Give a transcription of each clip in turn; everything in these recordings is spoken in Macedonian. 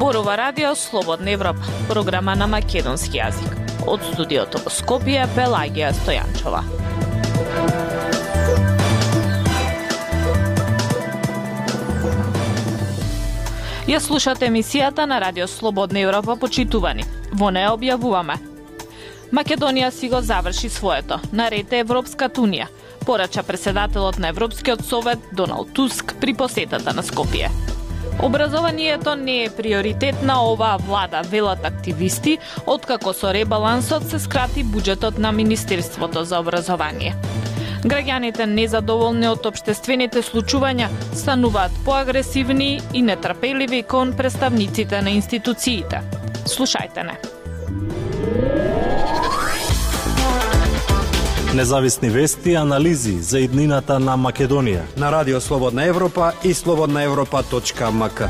Зборува Радио Слободна Европа, програма на македонски јазик. Од студиото во Скопје, Пелагија Стојанчова. Ја слушате емисијата на Радио Слободна Европа, почитувани. Во неја објавуваме: Македонија си го заврши своето, наред е Европската унија, порача председателот на Европскиот совет Доналд Туск при посетата на Скопје. Образованието не е приоритет на оваа влада, велат активисти, откако со ребалансот се скрати буџетот на Министерството за образование. Граѓаните незадоволни од општествените случувања стануваат поагресивни и нетрпеливи кон представниците на институциите. Слушајте не. Независни вести и анализи за иднината на Македонија на Радио Слободна Европа и slobodnaevropa.mk.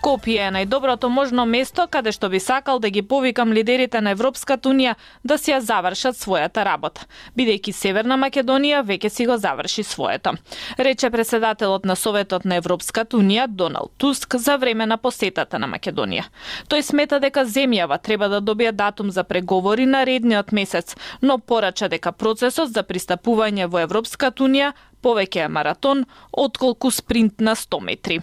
Скопје е најдоброто можно место каде што би сакал да ги повикам лидерите на Европската унија да си ја завршат својата работа, бидејќи Северна Македонија веќе си го заврши своето, рече председателот на Советот на Европската унија Доналд Туск за време на посетата на Македонија. Тој смета дека земјава треба да добие датум за преговори наредниот месец, но порача дека процесот за пристапување во Европската унија повеќе е маратон отколку спринт на 100 метри.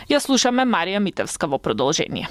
Ја слушаме Марија Митевска во продолжение.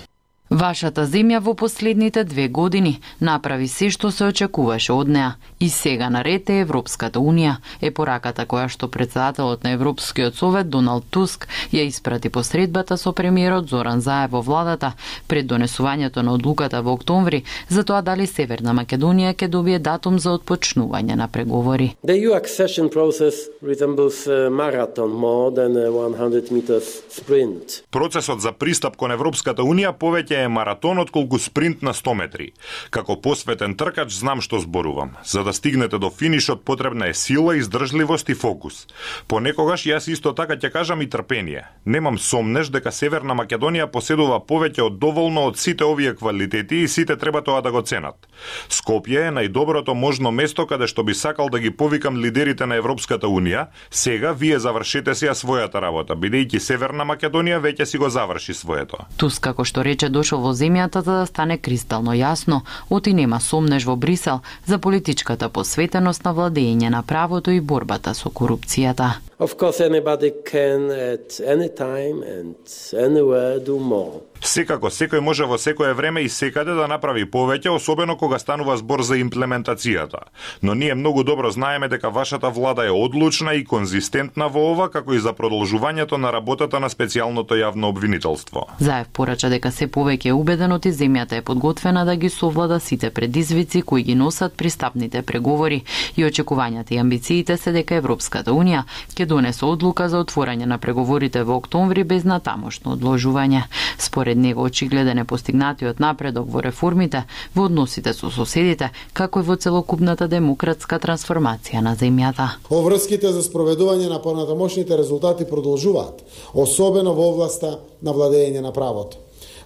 Вашата земја во последните 2 години направи се што се очекуваше од неа и сега наред е Европската унија, е пораката која што председателот на Европскиот совет Доналд Туск ја испрати по средбата со премиерот Зоран Заев во владата пред донесувањето на одлуката во октомври за тоа дали Северна Македонија ќе добие датум за отпочнување на преговори. The EU accession process resembles a marathon more than a 100 meters sprint. Процесот за пристап кон Европската унија повеќе е маратон отколку спринт на 100 метри. Како посветен тркач знам што зборувам. За да стигнете до финишот потребна е сила, издржливост и фокус. Понекогаш јас исто така ќе кажам и трпение. Немам сомнеш дека Северна Македонија поседува повеќе од доволно од сите овие квалитети и сите треба тоа да го ценат. Скопје е најдоброто можно место каде што би сакал да ги повикам лидерите на Европската унија. Сега вие завршете си својата работа, бидејќи Северна Македонија веќе си го заврши своето. Туск, како што рече, дошол во земјата за да стане кристално јасно, оти нема сомнеш во Брисел за политичката посветеност на владење на правото и борбата со корупцијата. Of course, anybody can at any time and anywhere do more. Секако, секој може во секое време и секаде да направи повеќе, особено кога станува збор за имплементацијата. Но ние многу добро знаеме дека вашата влада е одлучна и конзистентна во ова, како и за продолжувањето на работата на специјалното јавно обвинителство. Заев порача дека се повеќе е убеден оти земјата е подготвена да ги совлада сите предизвици кои ги носат пристапните преговори и очекувањата и амбициите се дека Европската унија ќе донесе одлука за отворање на преговорите во октомври без натамошно одложување. Според него очигледен е постигнатиот напредок во реформите, во односите со соседите, како и во целокупната демократска трансформација на земјата. Обврските за спроведување на понатамошните резултати продолжуваат, особено во областа на владење на правото.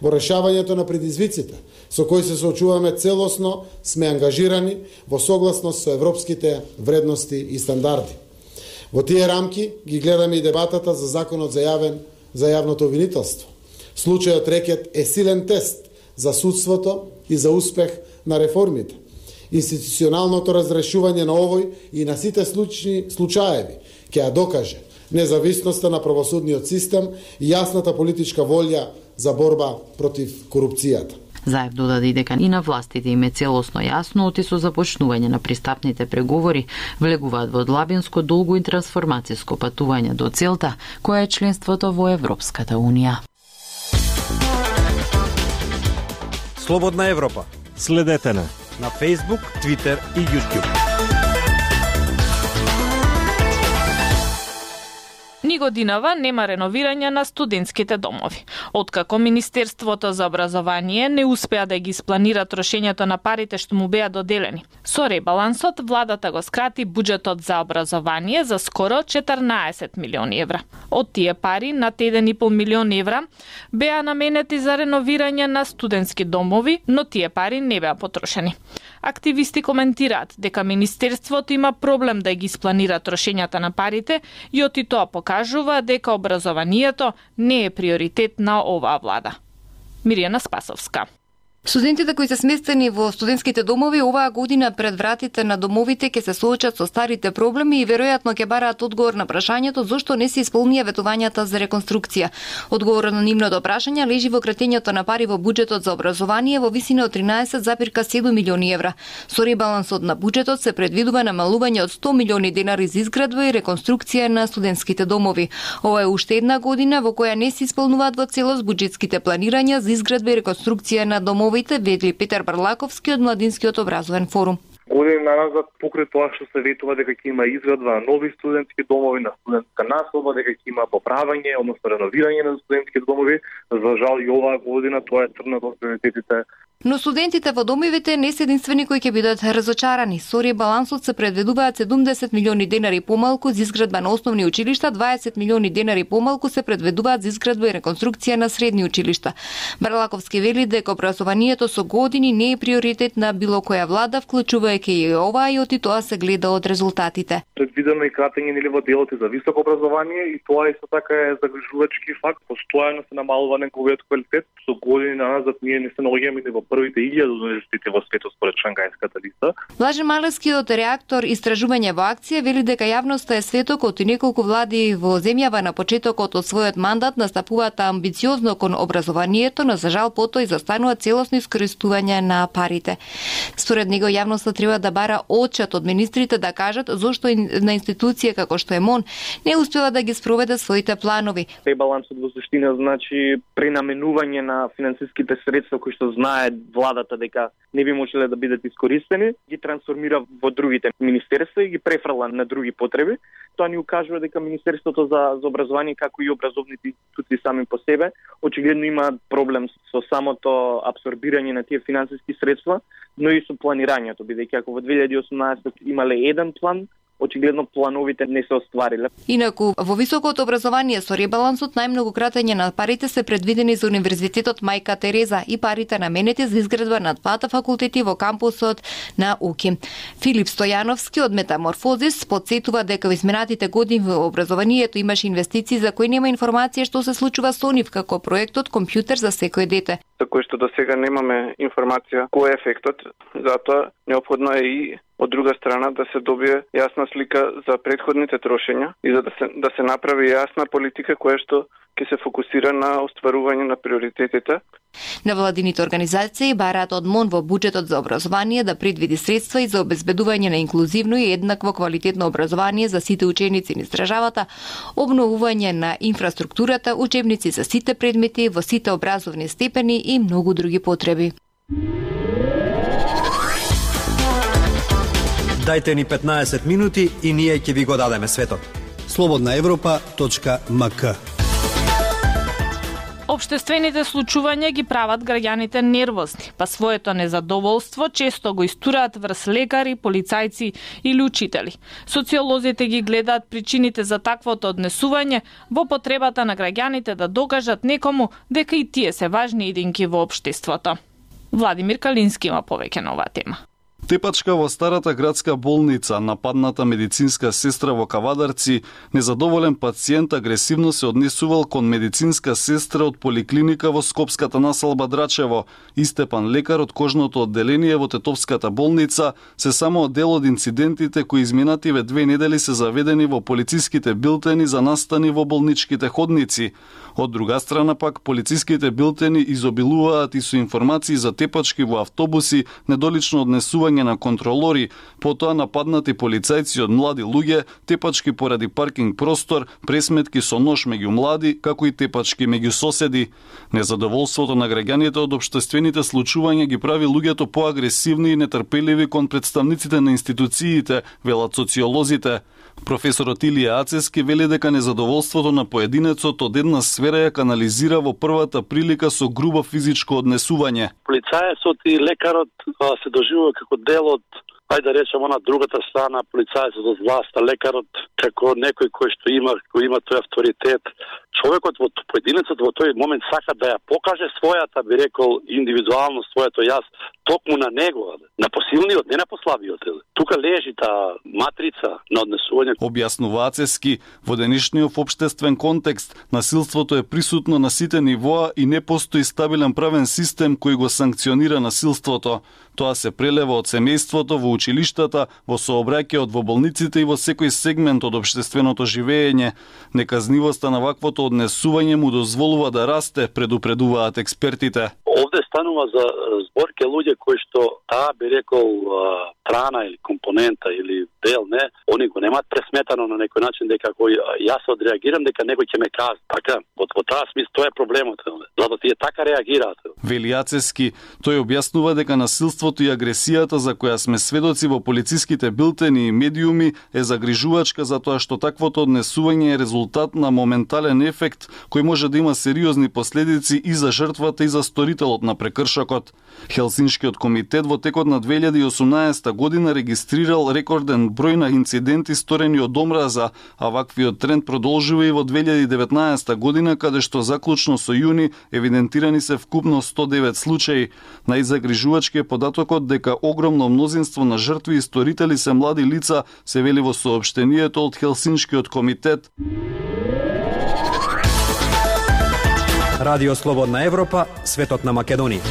Во решавањето на предизвиците со кои се соочуваме целосно сме ангажирани во согласност со европските вредности и стандарди. Во тие рамки ги гледаме и дебатата за законот за јавното обвинителство. Случајот рекет е силен тест за судството и за успех на реформите. Институционалното разрешување на овој и на сите случаеви ќе ја докаже независноста на правосудниот систем и јасната политичка волја за борба против корупцијата. Заев додаде дека и на властите им е целосно јасно оти со започнување на пристапните преговори влегуваат во длабинско, долго и трансформацијско патување до целта, која е членството во Европската унија. Слободна Европа. Следете на Facebook, Twitter и YouTube. Ни годинава нема реновирање на студентските домови. Откако Министерството за образование не успеа да ги испланира трошењето на парите што му беа доделени. Со ребалансот, владата го скрати буџетот за образование за скоро 14 милиони евра. Од тие пари, над 1,5 милион евра, беа наменети за реновирање на студентски домови, но тие пари не беа потрошени. Активисти коментираат дека Министерството има проблем да ги испланира трошењата на парите и оти тоа покажува дека образованието не е приоритет на на оваа влада. Миријана Спасовска. Студентите кои се сместени во студентските домови оваа година пред вратите на домовите ќе се соочат со старите проблеми и веројатно ќе бараат одговор на прашањето зошто не се исполнија ветувањата за реконструкција. Одговорот на нивното прашање лежи во кратењето на пари во буџетот за образование во висина од 13,7 милиони евра. Со ребалансот на буџетот се предвидува намалување од 100 милиони денари за изградба и реконструкција на студентските домови. Ова е уште една година во која не се исполнуваат во целост буџетските планирања за изградба и реконструкција на домови, ведли Петар Барлаковски од Младинскиот образовен форум. Години назад покрај тоа што се ветува дека ќе има изградба на нови студентски домови, на студентска населба, дека ќе има поправање, односно реновирање на студентски домови, за жал и оваа година тоа е тргнато од приоритетите. Но студентите во домовите не се единствени кои ќе бидат разочарани. Со ребалансот се предвидуваат 70 милиони денари помалку за изградба на основни училишта, 20 милиони денари помалку се предвидуваат за изградба и реконструкција на средни училишта. Барлаковски вели дека образованието со години не е приоритет на било која влада, вклучувајќи и ова, и оти тоа се гледа од резултатите. Предвидено и кратење нели во делот за високо образование и тоа исто така е загрижувачки факт. Постојано се намалува неговиот квалитет. Со години назад ние не се наоѓаме ни во првите 1000 универзитети во светот според Шангајската листа. Блаже Малевскиот реактор Истражување во акција вели дека јавноста е светокот и неколку влади во земјава на почетокот од својот мандат настапуваат амбициозно кон образованието, но за жал потоа изостанува целосно искористување на парите. Според него јавноста треба да бара отчет од министрите да кажат зошто на институција како што е МОН не успева да ги спроведе своите планови. Ребалансот во суштина значи пренаменување на финансиските средства кои што знае владата дека не би можеле да бидат искористени, ги трансформира во другите министерства и ги префрла на други потреби. Тоа ни укажува дека Министерството за образование, како и образовните институции сами по себе, очигледно има проблем со самото абсорбирање на тие финансиски средства, но и со планирањето, бидејќи ако во 2018 имале еден план, очигледно плановите не се оствариле. Инаку, во високото образование со ребалансот најмногу кратење на парите се предвидени за Универзитетот Мајка Тереза и парите наменети за изградба на двата факултети во кампусот на УКИ. Филип Стојановски од Метаморфозис подсетува дека во изминатите години во образованието имаше инвестиции за кои нема информација што се случува со нив, како проектот Компјутер за секој дете. За кој што до сега немаме информација кој е ефектот, затоа неопходно е и од друга страна да се добие јасна слика за претходните трошења и за да се направи јасна политика која што ќе се фокусира на остварување на приоритетите. Невладините организации бараат од МОН во буџетот за образование да предвиди средства и за обезбедување на инклузивно и еднакво квалитетно образование за сите ученици низ државата, обновување на инфраструктурата, учебници за сите предмети во сите образовни степени и многу други потреби. Дајте ни 15 минути и ние ќе ви го дадеме светот. slobodnaevropa.mk. Обштествените случувања ги прават граѓаните нервозни, па своето незадоволство често го истураат врз лекари, полицајци или учители. Социолозите ги гледаат причините за таквото однесување во потребата на граѓаните да докажат некому дека и тие се важни единки во општеството. Владимир Калински има повеќе на оваа тема. Тепачка во старата градска болница, нападната медицинска сестра во Кавадарци, незадоволен пациент агресивно се однесувал кон медицинска сестра од поликлиника во Скопската населба Драчево. Истепан, лекар од кожното одделение во Тетовската болница, се само дел од инцидентите кои изминативе 2 недели се заведени во полициските билтени за настани во болничките ходници. Од друга страна пак, полициските билтени изобилуваат и со информации за тепачки во автобуси, недолично однесување на контролори, потоа нападнати полицајци од млади луѓе, тепачки поради паркинг простор, пресметки со нож меѓу млади, како и тепачки меѓу соседи. Незадоволството на граѓаните од општествените случувања ги прави луѓето поагресивни и нетрпеливи кон представниците на институциите, велат социолозите. Професорот Илија Ацески вели дека незадоволството на поединецот од една сфера ја канализира во првата прилика со грубо физичко однесување. Полицајецот и лекарот се доживува како дел од, ајде да речем, она другата страна, полицајецот од власта, лекарот како некој кој што има тој авторитет. Човекот во поединецот во тој момент сака да ја покаже својата, би рекол, индивидуално своето јас, токму на него, на посилниот, не на послабиот. Тука лежи таа матрица на однесување. Објаснува Ацевски, во денешниот општествен контекст, насилството е присутно на сите нивоа и не постои стабилен правен систем кој го санкционира насилството. Тоа се прелева од семејството во училиштата, во сообраќајот во болниците и во секој сегмент од општественото живење. Неказнивоста на ваквото однесување му дозволува да расте, предупредуваат експертите. Овде станува за зборке луѓе кои што би рекол трана или компонента или дел, не, они го немаат пресметано на некој начин дека кој јас одреагирам дека некој ќе ме казни. Така, во таа смисла тоа е проблемот. Затоа тие така реагираат. Вели Ацевски, тој објаснува дека насилството и агресијата за која сме сведоци во полициските билтени и медиуми е загрижувачка затоа што таквото однесување е резултат на моментален ефект кој може да има сериозни последици и за жртвата и за сторителот на прекршокот. Хелсиншкиот комитет во текот на 2018 година регистрирал рекорден број на инциденти сторени од омраза, а ваквиот тренд продолжува и во 2019 година, каде што заклучно со јуни евидентирани се вкупно 109 случаи. Најзагрижувачки е податокот дека огромно мнозинство на жртви и сторители се млади лица, се вели во соопштението од Хелсиншкиот комитет. Радио Слободна Европа, светот на Македонија.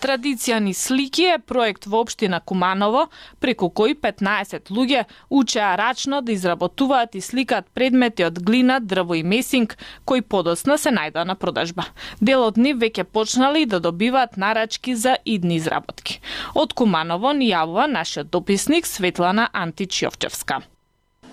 Традиција ни слики е проект во општина Куманово, преку кој 15 луѓе учеа рачно да изработуваат и сликаат предмети од глина, дрво и месинг, кои подоцна се најдоа на продажба. Дел од нив веќе почнали да добиваат нарачки за идни изработки. Од Куманово ни јавува нашиот дописник Светлана Антич-Јовчевска.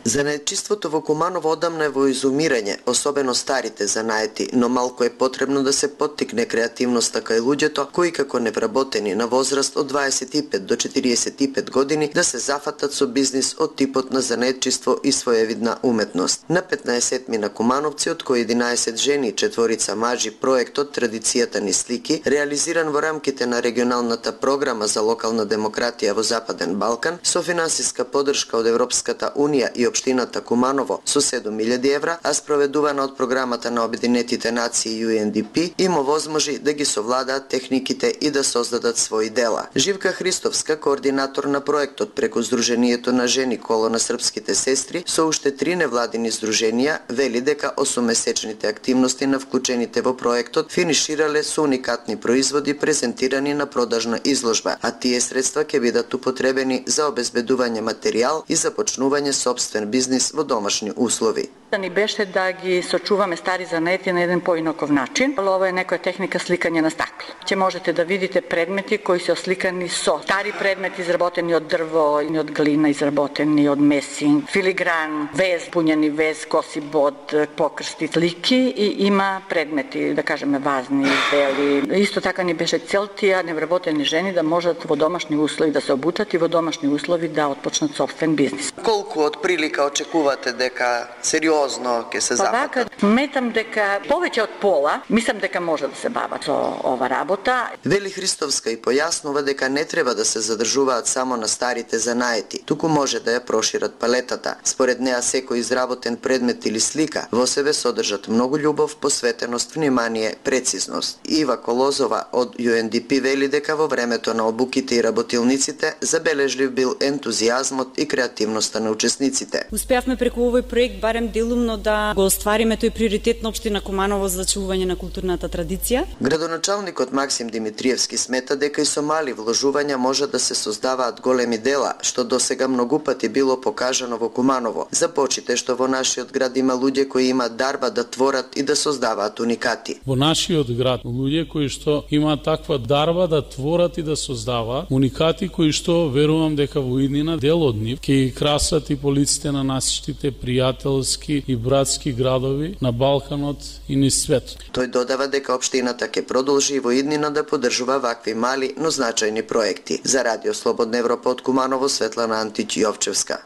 Занаетчиството во Куманово одамна е во изумирање, особено старите занаети, но малку е потребно да се поттикне креативноста кај луѓето кои како невработени на возраст од 25 до 45 години да се зафатат со бизнис од типот на занаетчиство и своевидна уметност. На 15 на кумановци, од кои 11 жени и 4 мажи, проектот Традицијата ни слики, реализиран во рамките на регионалната програма за локална демократија во Западен Балкан, со финансиска поддршка од Европската унија и општината Куманово со 7.000 евра, а спроведувана од програмата на Обединетите нации UNDP, им овозможи да ги совладаат техниките и да создадат своји дела. Живка Христовска, координатор на проектот преку Сдруженијето на жени Коло на српските сестри, со уште 3 невладини здруженија, вели дека 8-месечните активности на вклучените во проектот финиширале со уникатни производи презентирани на продажна изложба, а тие средства ќе бидат употребени за обезбедување материјал и започнување собствен бизнис во домашни услови. Да ни беше да ги сочуваме стари занети на еден поинаков начин. Ова е некоја техника сликање на стакло. Ќе можете да видите предмети кои се осликани со стари предмети изработени од дрво и од глина, изработени од месинг, филигран, вез, пуњени вез, коси бод, покрсти, слики и има предмети, да кажеме вазни издели. Исто така ни беше цел тие невработени жени да можат во домашни услови да се обутат и во домашни услови да отпочнат собствен бизнис. Колку од прилика очекувате дека сериозно ќе се зафатат? Сметам дека повеќе од пола, мислам дека може да се бават со ова работа. Вели Христовска и појаснува дека не треба да се задржуваат само на старите занаети, туку може да ја прошират палетата. Според неа секој изработен предмет или слика во себе содржат многу љубов, посветеност, внимание, прецизност. Ива Колозова од UNDP вели дека во времето на обуките и работилниците забележлив бил ентузијазмот и креативноста на учесниците. Успеавме преку овој проект барем делумно да го оствариме тој приоритет на општина Куманово за зачувување на културната традиција. Градоначалникот Максим Димитриевски смета дека и со мали вложувања може да се создаваат големи дела, што досега многу пати било покажано во Куманово. Започите што во нашиот град има луѓе кои имаат дарба да творат и да создаваат уникати. Во нашиот град луѓе кои што имаат таква дарба да творат и да создаваат уникати кои што верувам дека во иднина дел од нив ќе ги красат и полиците на нашите пријателски и братски градови на Балканот и низ светот. Тој додава дека општината ќе продолжи и во иднина да поддржува вакви мали, но значајни проекти. За Радио Слободна Европа од Куманово, Светлана Антич-Јовчевска.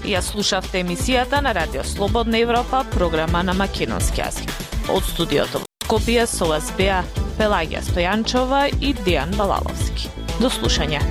Ја слушавте емисијата на Радио Слободна Европа, програма на македонски јазик. Од студиото во Скопје со вас беа Пелагија Стојанчова и Дијан Балаловски. До слушање.